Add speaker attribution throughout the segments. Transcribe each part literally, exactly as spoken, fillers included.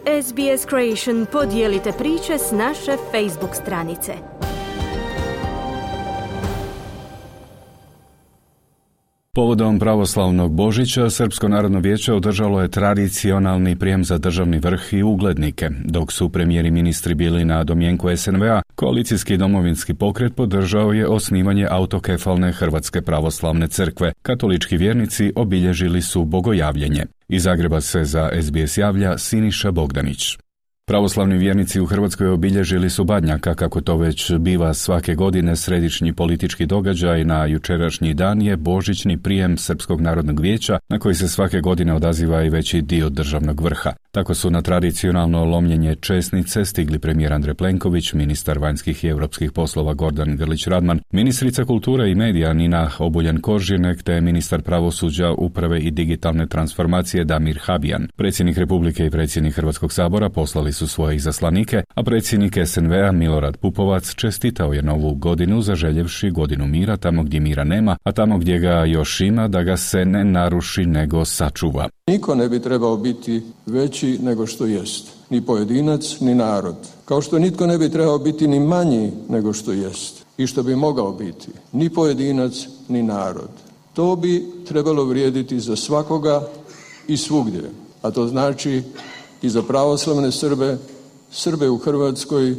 Speaker 1: S B S Creation podijelite priče s naše Facebook stranice.
Speaker 2: Povodom pravoslavnog Božića, Srpsko narodno vijeće održalo je tradicionalni prijem za državni vrh i uglednike. Dok su premijeri i ministri bili na domjenku S N V A, koalicijski domovinski pokret podržao je osnivanje autokefalne Hrvatske pravoslavne crkve. Katolički vjernici obilježili su bogojavljenje. Iz Zagreba se za S B S javlja Siniša Bogdanić. Pravoslavni vjernici u Hrvatskoj obilježili su Badnjaka, kako to već biva svake godine središnji politički događaj. Na jučerašnji dan je božićni prijem Srpskog narodnog vijeća, na koji se svake godine odaziva i veći dio državnog vrha. Tako su na tradicionalno lomljenje česnice stigli premijer Andrej Plenković, ministar vanjskih i europskih poslova Gordan Grlić Radman, ministrica kulture i medija Nina Obuljen-Koržinek te ministar pravosuđa, uprave i digitalne transformacije Damir Habijan. Predsjednik Republike i predsjednik Hrvatskog sabora poslali su svoje izaslanike, a predsjednik S N V A Milorad Pupovac čestitao je novu godinu zaželjevši godinu mira tamo gdje mira nema, a tamo gdje ga još ima da ga se ne naruši nego sačuva.
Speaker 3: Niko ne bi trebao biti veći nego što jest, ni pojedinac, ni narod. Kao što nitko ne bi trebao biti ni manji nego što jest i što bi mogao biti, ni pojedinac, ni narod. To bi trebalo vrijediti za svakoga i svugdje, a to znači i za pravoslavne Srbe, Srbe u Hrvatskoj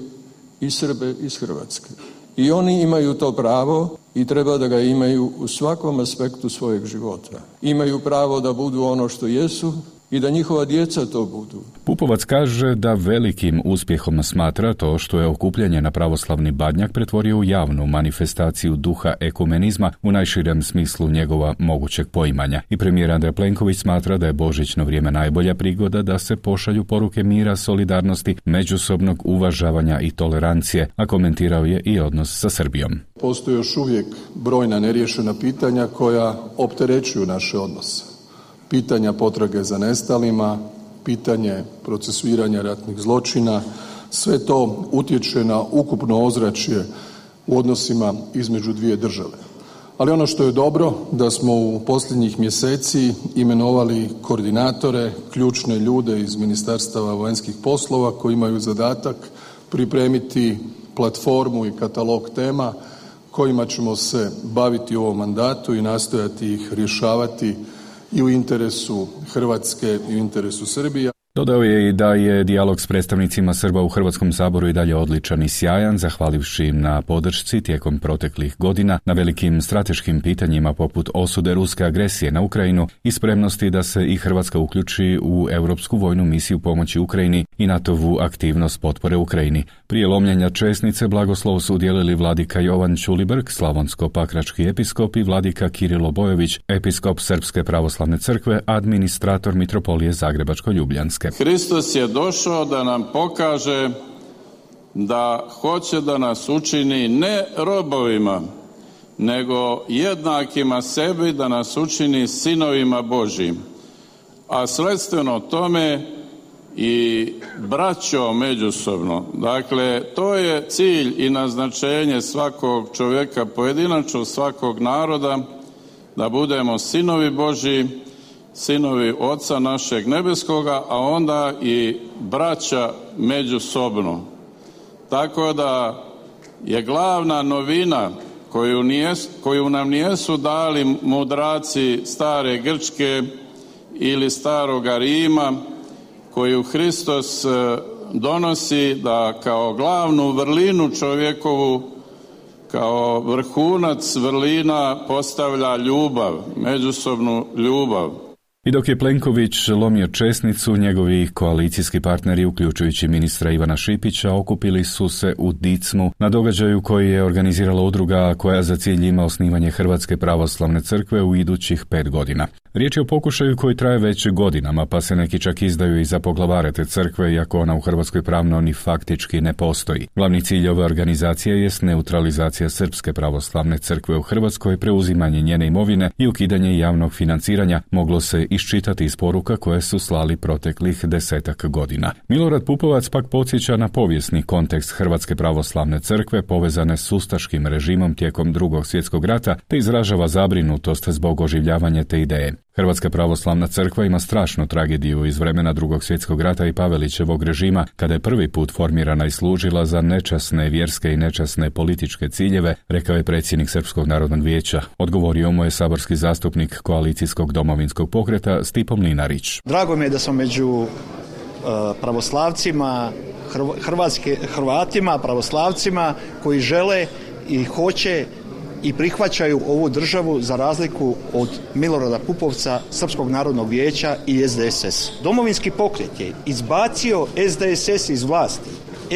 Speaker 3: i Srbe iz Hrvatske. I oni imaju to pravo i treba da ga imaju u svakom aspektu svojeg života. Imaju pravo da budu ono što jesu i da njihova djeca to budu.
Speaker 2: Pupovac kaže da velikim uspjehom smatra to što je okupljanje na pravoslavni Badnjak pretvorio u javnu manifestaciju duha ekumenizma u najširem smislu njegova mogućeg poimanja. I premijer Andrej Plenković smatra da je božićno vrijeme najbolja prigoda da se pošalju poruke mira, solidarnosti, međusobnog uvažavanja i tolerancije, a komentirao je i odnos sa Srbijom.
Speaker 4: Postoje još uvijek brojna neriješena pitanja koja opterećuju naše odnose. Pitanja potrage za nestalima, pitanje procesuiranja ratnih zločina, sve to utječe na ukupno ozračje u odnosima između dvije države. Ali ono što je dobro, da smo u posljednjih mjeseci imenovali koordinatore, ključne ljude iz Ministarstava vanjskih poslova koji imaju zadatak pripremiti platformu i katalog tema kojima ćemo se baviti u ovom mandatu i nastojati ih rješavati i u interesu Hrvatske i u interesu Srbije.
Speaker 2: Dodao je i da je dijalog s predstavnicima Srba u Hrvatskom saboru i dalje odličan i sjajan, zahvalivši im na podršci tijekom proteklih godina na velikim strateškim pitanjima poput osude ruske agresije na Ukrajinu i spremnosti da se i Hrvatska uključi u europsku vojnu misiju pomoći Ukrajini i NATO-vu aktivnost potpore Ukrajini. Prije lomljenja česnice blagoslov su udjelili vladika Jovan Ćulibrk, slavonsko-pakrački episkop, i vladika Kirilo Bojović, episkop Srpske pravoslavne crkve, administrator mitropolije Zagrebačko-Ljubljanske.
Speaker 5: Hristos je došao da nam pokaže da hoće da nas učini ne robovima, nego jednakima sebi, da nas učini sinovima Božjim. A sledstveno tome i braćo međusobno. Dakle, to je cilj i naznačenje svakog čovjeka pojedinačno, svakog naroda, da budemo sinovi Božji, sinovi Oca našeg nebeskoga, a onda i braća međusobno. Tako da je glavna novina koju, nije, koju nam nijesu dali mudraci stare Grčke ili staroga Rima, koju Hristos donosi da kao glavnu vrlinu čovjekovu, kao vrhunac vrlina postavlja ljubav, međusobnu ljubav.
Speaker 2: I dok je Plenković lomio česnicu, njegovi koalicijski partneri, uključujući ministra Ivana Šipića, okupili su se u Dicmu na događaju koji je organizirala udruga koja za cilj ima osnivanje Hrvatske pravoslavne crkve u idućih pet godina. Riječ je o pokušaju koji traje već godinama, pa se neki čak izdaju i za poglavare te crkve, iako ona u Hrvatskoj pravno ni faktički ne postoji. Glavni cilj ove organizacije jest neutralizacija Srpske pravoslavne crkve u Hrvatskoj, preuzimanje njene imovine i ukidanje javnog financiranja, moglo se iščitati iz poruka koje su slali proteklih desetak godina. Milorad Pupovac pak podsjeća na povijesni kontekst Hrvatske pravoslavne crkve povezane s ustaškim režimom tijekom Drugog svjetskog rata, te izražava zabrinutost zbog oživljavanja te ideje. Hrvatska pravoslavna crkva ima strašnu tragediju iz vremena Drugog svjetskog rata i Pavelićevog režima, kada je prvi put formirana i služila za nečasne vjerske i nečasne političke ciljeve, rekao je predsjednik Srpskog narodnog vijeća. Odgovorio mu je saborski zastupnik koalicijskog domovinskog pokreta Stipo Mlinarić.
Speaker 6: Drago mi je da sam među uh, pravoslavcima, hrvatske, Hrvatima, pravoslavcima koji žele i hoće i prihvaćaju ovu državu za razliku od Milorada Pupovca, Srpskog narodnog vijeća i S D S S. Domovinski pokret je izbacio S D S S iz vlasti.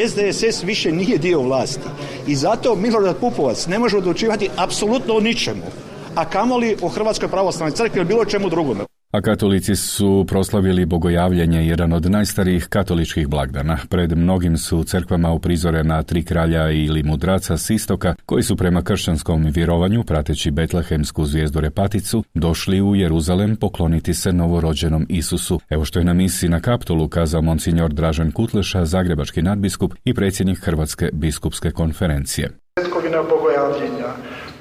Speaker 6: S D S S više nije dio vlasti i zato Milorad Pupovac ne može odlučivati apsolutno o ničemu, a kamoli o Hrvatskoj pravoslavnoj crkvi ili bilo čemu drugome.
Speaker 2: A katolici su proslavili bogojavljenje, jedan od najstarijih katoličkih blagdana. Pred mnogim su crkvama uprizorena tri kralja ili mudraca s istoka, koji su prema kršćanskom vjerovanju, prateći betlehemsku zvijezdu repaticu, došli u Jeruzalem pokloniti se novorođenom Isusu. Evo što je na misiji na Kaptolu kazao monsignor Dražen Kutleša, zagrebački nadbiskup i predsjednik Hrvatske biskupske konferencije.
Speaker 7: Svetkovina bogojavljenja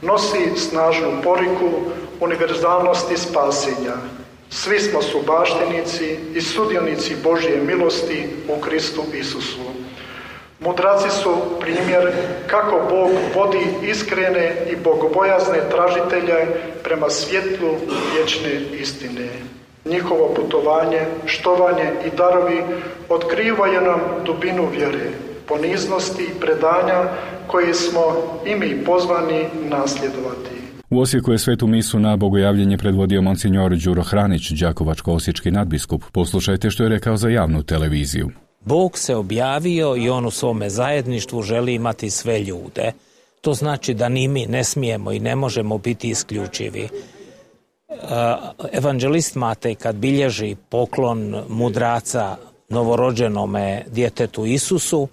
Speaker 7: nosi snažnu poriku univerzalnosti spasenja. Svi smo subaštenici i sudionici Božje milosti u Kristu Isusu. Mudraci su primjer kako Bog vodi iskrene i bogobojazne tražitelje prema svjetlu vječne istine. Njihovo putovanje, štovanje i darovi otkrivaju nam dubinu vjere, poniznosti i predanja koje smo i mi pozvani nasljedovati.
Speaker 2: U Osijeku je svetu misu na bogojavljenje predvodio monsignor Đuro Hranić, đakovačko-osječki nadbiskup. Poslušajte što je rekao za javnu televiziju.
Speaker 8: Bog se objavio i on u svome zajedništvu želi imati sve ljude. To znači da ni mi ne smijemo i ne možemo biti isključivi. Evanđelist Matej kad bilježi poklon mudraca novorođenome djetetu Isusu,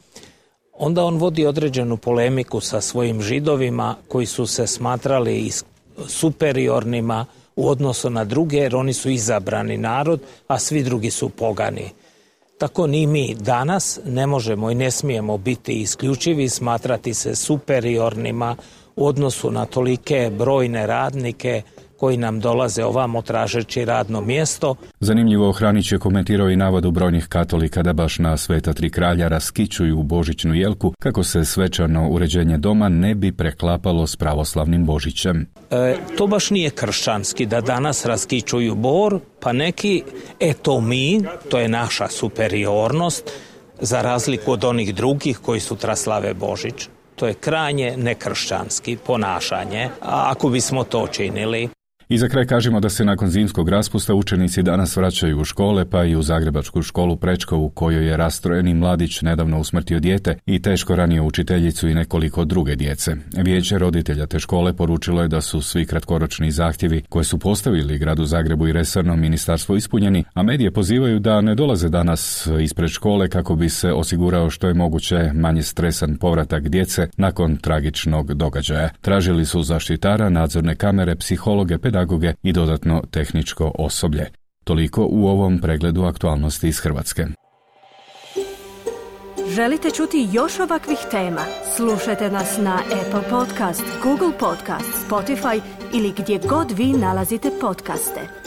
Speaker 8: onda on vodi određenu polemiku sa svojim Židovima koji su se smatrali superiornima u odnosu na druge, jer oni su izabrani narod, a svi drugi su pogani. Tako ni mi danas ne možemo i ne smijemo biti isključivi, smatrati se superiornima u odnosu na tolike brojne radnike koji nam dolaze ovamo tražeći radno mjesto.
Speaker 2: Zanimljivo, Hranić je komentirao i navodu brojnih katolika da baš na Sveta tri kralja raskićuju božićnu jelku kako se svečano uređenje doma ne bi preklapalo s pravoslavnim Božićem.
Speaker 8: E, to baš nije kršćanski da danas raskićuju bor, pa neki, eto mi, to je naša superiornost, za razliku od onih drugih koji sutra slave Božić. To je krajnje nekršćanski ponašanje, a ako bismo to činili.
Speaker 2: I za kraj kažemo da se nakon zimskog raspusta učenici danas vraćaju u škole, pa i u zagrebačku školu Prečko, u kojoj je rastrojeni mladić nedavno usmrtio dijete i teško ranio učiteljicu i nekoliko druge djece. Vijeće roditelja te škole poručilo je da su svi kratkoročni zahtjevi koje su postavili gradu Zagrebu i resorno ministarstvo ispunjeni, a medije pozivaju da ne dolaze danas ispred škole kako bi se osigurao što je moguće manje stresan povratak djece nakon tragičnog događaja. Tražili su zaštitara, nadzorne kamere, psihologe, pedagoge i dodatno tehničko osoblje. Toliko u ovom pregledu aktualnosti iz Hrvatske.
Speaker 1: Želite čuti još ovakvih tema? Slušajte nas na Apple Podcast, Google Podcast, Spotify ili gdje god vi nalazite podcaste.